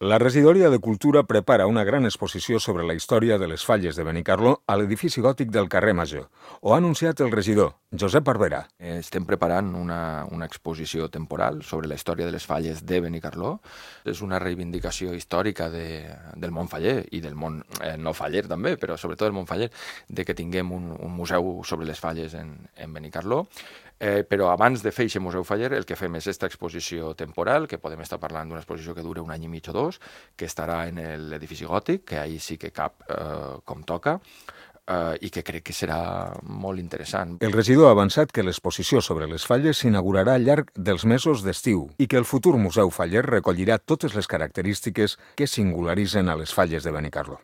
La Regidoria de Cultura prepara una gran exposició sobre la història de les falles de Benicarló a l'edifici gòtic del carrer Major. Ho ha anunciat el regidor, Josep Barberà. Estem preparant una exposició temporal sobre la història de les falles de Benicarló. És una reivindicació històrica del món faller i del món no faller també, però sobretot del món faller, de que tinguem un museu sobre les falles en Benicarló. Però abans de fer aquest museu faller, el que fem és aquesta exposició temporal, que podem estar parlant d'una exposició que dura un any i mig o dos, que estarà en l'edifici gòtic, que ahir sí que cap com toca, i que crec que serà molt interessant. El regidor ha avançat que l'exposició sobre les falles s'inaugurarà al llarg dels mesos d'estiu i que el futur museu faller recollirà totes les característiques que singularitzen a les falles de Benicarló.